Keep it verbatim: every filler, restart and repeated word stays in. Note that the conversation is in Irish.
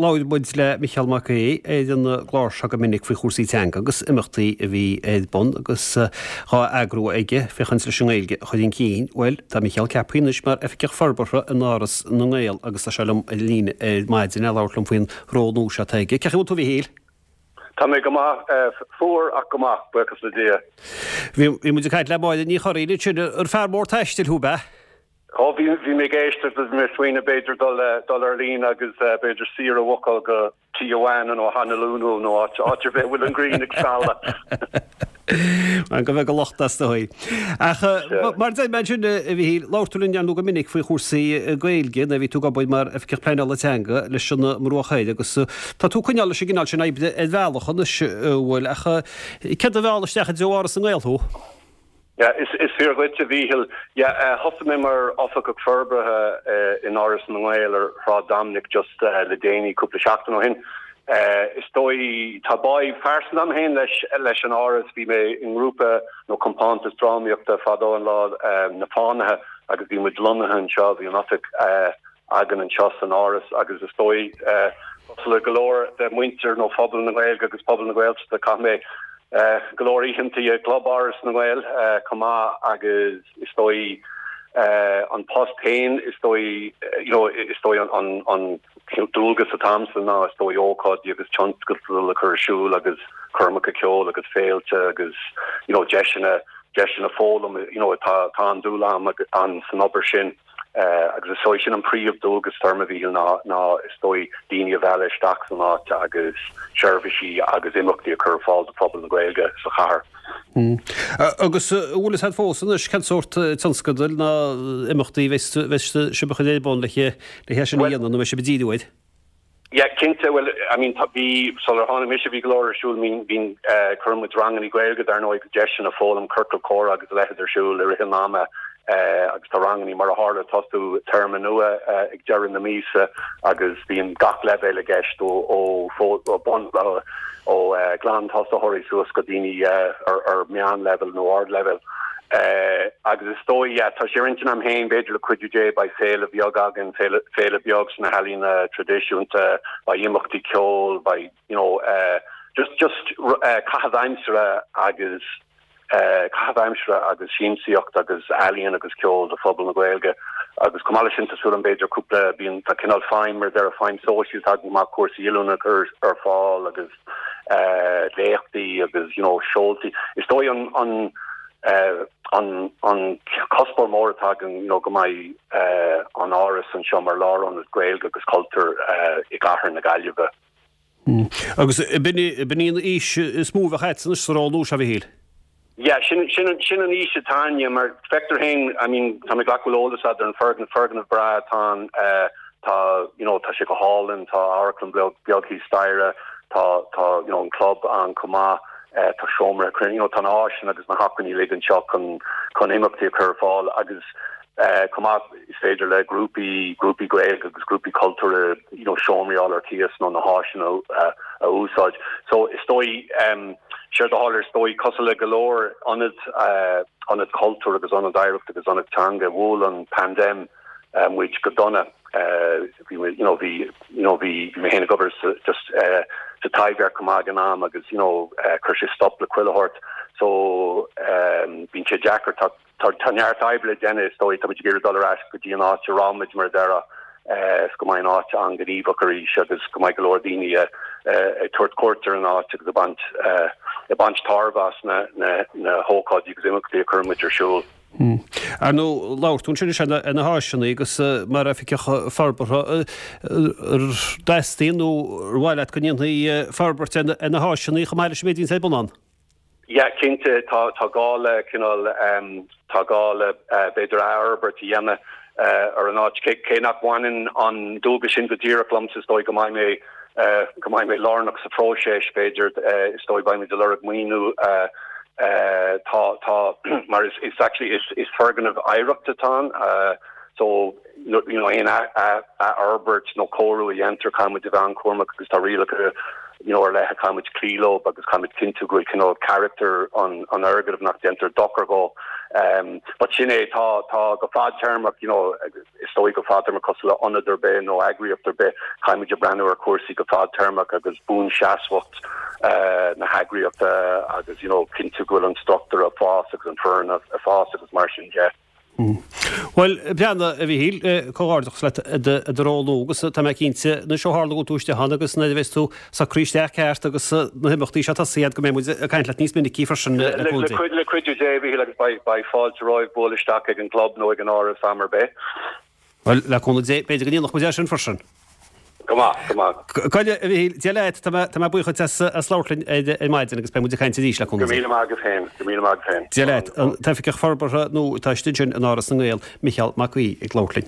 Labhair muid le Micheál Mac Aodha ar an gclár seo go minic faoi chúrsaí teanga agus imeachtaí a bhí ar bun agus dhá eagrú aige féachaint leis an nGaeilge a chur chun cinn. Bhuel, tá Micheál ceaptha anois mar Oifigeach Forbartha in Áras na nGael agus tá sé liom ar líne ar maidin le labhairt liom faoin ról nua seo atá aige. Cén chaoi a bhfuil tú, a Mhichíl? Tá mé go maith, fuar ach go maith, buíochas le Dia. Bhí muid ag caint le Máire Ní Churraoin ansin, ar fear mór taistil thú, ab ea? Ó bhí bhí mé ag éisteacht agus mé ag smaoineamh b'fhéidir dul dul ar líne agus b'fhéidir saoire a bhucáil go Tijuana nó Honolulu nó áit áit ar bith a bhfuil an ghrian ag scaladh. Go mbeidh a lucht as dóigh. Ach mar deir mé ansin a Mhichíl, labhair tú linn ar ndóigh go minic faoi chúrsaí Gaeilge nuair a bhí tú ag obair mar Oifigeach Pleanála Teanga leis an mBruach Thoir agus tá tú ag coinneáil leis an gcineál sin oibre ar bhealach anois, an bhfuil, ach céard a mheall isteach i dtreo Áras na nGael thú? Yeah, is is fíor dhuit, a Mhíchíl. Yeah, thosaigh mé mar Oifigeach Forbartha in Áras na nGael ar Shráid Dominic just le déanaí, cúpla seachtain ó shin. Is dóigh, tá bá phearsanta agam féin leis leis an Áras. Bhí mé i ngrúpa nó compántas drámaíochta fadó an lá, Na Fánaithe, agus bhí muid lonnaithe anseo, bhí an oifig againn anseo san Áras agus is dóigh, cosúil le go leor de mhuintir nó phobal na Gaeilge agus pobal na Gaeltachta, chaith mé go leor oícheantaí i gClub Áras na nGael chomh maith agus is dóigh an post féin, is dóigh, you know, is dóigh an an dualgas atá agamsa ná is dóigh ócáidí agus tionscadail a chur ar siúl agus coirmeacha ceoil agus féilte agus, you know, deiseanna deiseanna foghlaim, you know, tá tá an-dúil agam an san obair sin. Agus is dóigh sin an príomh-dualgas atá orm, a Mhíchíl, ná ná is dóigh daoine a mhealladh isteach san áit agus seirbhísí agus imeachtaí a chur ar fáil do phobal na Gaeilge sa chathair. Agus an bhfuil fhios agat fós anois cén sórt tionscadail ná imeachtaí a bheas bheas sibh a chur ar bun le le hé sin a dhéanamh nó an mbeidh sibh ag díriú air? Yeah, cinnte, bhuel, I mean, tá, bhí, sular tháinig mise bhí go leor ar siúl, I mean, bhí, eh, cuireann muid rangannaí Gaeilge dar ndóigh, deiseanna foghlaim, ciorcal comhrá agus a leithéid ar siúl i rith an ama, eh, agus tá rangannaí mar a tharla ag tosú téarma nua, eh, ag deireadh na míosa agus bíonn gach leibhéal i gceist ó, ó, ó bun, ó, ó, eh, glan-tosaitheoirí suas go daoine, eh, ar, ar meánleibhéal nó ardleibhéal. Agus is dóigh, yeah, tá sé ar intinn agam féin, b'fhéidir le cuidiú Dé, beidh féile bheag againn, féile, féile beag sna healaíona traidisiúnta, beidh imeachtaí ceoil, beidh, you know, just, just caitheamh aimsire agus, caitheamh aimsire agus siamsaíocht agus ealaíon agus ceol do phobal na Gaeilge. Agus chomh maith leis sin, tá súil agam b'fhéidir cúpla, bíonn, tá cineál feidhm, mar a déarfá, feidhm sóisialta againn chomh maith, cúrsaí oiliúna a chur ar fáil agus léachtaí agus, you know, seoltaí. Is dóigh an, an, An an cuspóir mór atá againn nó go mbeidh an Áras anseo mar lárionad Gaeilge agus cultúir i gcathair na Gaillimhe. Agus b'in í an fhís is mó a bheadh agat anois sa ról nua seo, a Mhichíl? Yeah, sin sin sin an fhís atá againne mar feictear féin, I mean, tá mé ag glacadh go bhfuil eolas agat ar an foirgneamh, foirgneamh breá atá ann, tá, you know, tá sé go hálainn, tá amharclann beag beag thíos staighre, tá tá, you know, an club ann chomh maith. Tá seomra cruinnithe, you know, tá na háiseanna agus na hacmhainní uilig anseo chun chun imeachtaí a chur ar fáil agus chomh maith is féidir le grúpaí, grúpaí Gaeilge agus grúpaí cultúrtha, you know, seomraí a fháil ar cíos nó na háiseanna a úsáid. So is dóigh, séard a tharla, is dóigh, cosúil le go leor ionad, ionad cultúir agus ionad oidhreachta agus ionad teanga, bhuail an paindéim muid go dona. Bhí muid, you know, bhí, you know, bhí mé féin ag obair sa, just sa Taibhdhearc chomh maith ag an am agus, you know, chuir sé stop le chuile shórt. So, bíonn sé deacair, tá, tá, tá neart oibre le déanamh is dóigh, tá muid ag iarraidh dul ar ais go dtí an áit a raibh muid mar a déarfá, is go mbeidh an áit an-ghníomhach arís agus go mbeidh go leor daoine ag tabhairt cuairt ar an áit agus ag baint, ag baint tairbhe as na, na, na hócáidí agus imeachtaí a chuireann muid ar siúl. Ar ndóigh, labhair tú ansin ar na háiseanna agus mar oifigeach forbartha, ar dteastaíonn nó ar mhaith leat go ndéanfaí forbairt ar na háiseanna chomh maith leis an méid a bhíonns ar bun ann? Yeah, cinnte, tá tá gá le cineál, tá gá le b'fhéidir athfhorbairt a dhéanamh ar an áit. Cé nach mbaineann an dualgas sin go díreach liomsa, is dóigh go mbeidh mé go mbeidh mé lárnach sa phróiseas, b'fhéidir, is dóigh beimid ag lorg maoiniú. Tá, tá, mar is, is actually, is, is foirgneamh oidhreachta atá ann, so, you know, aon athfhorbairt nó cóiriú a dhéantar, caithfidh muid a bheith an-chúramach agus tá rialacha you know, ar leith a caithfimid cloí leo agus caithfimid cinntiú go bhfuil cineál character an an fhoirgnimh nach déantar dochar dhó. Um, but sin é tá tá go fadtéarmach you know, is dóigh go fadtéarmach cosúil le ionad ar bith nó eagraíocht ar bith caithfimid breathnú ar chúrsaí go fadtéarmach agus buanseasmhacht uh, na heagraíochta agus you know, cinntiú go bhfuil an struchtúr ag fás agus an fhoireann ag fás agus mar sin de. Well breana a Mhichíl comhghairdeachas leat i do ról nua agus tá mé cinnte na seotharla tú isteach ann agus nuair a bheas tú socraithe isteach ceart agus na himeachtaí seo tosaithe go mbeidh muid ag caint leat níos minicí freisin le le cuidiú Dé Mhichíl agus beidh fáilte romhaibh bualadh isteach ag an club nó ag an áras am ar bith. Well le cúnamh Dé b'fhéidir go ndéanfaidh muid é sin freisin. Go maith go maith. Goile a Mhichíl Dia leat tá mé buíoch as as labhairt linn ar maidin agus beidh muid ag caint arís le cúnamh Dé. Go míle maith agat féin, go míle maith agat féin. Dia leat an tOifigeach Forbartha nó tá sin in Áras na nGael Micheál Mac Aoidh ag labhairt linn.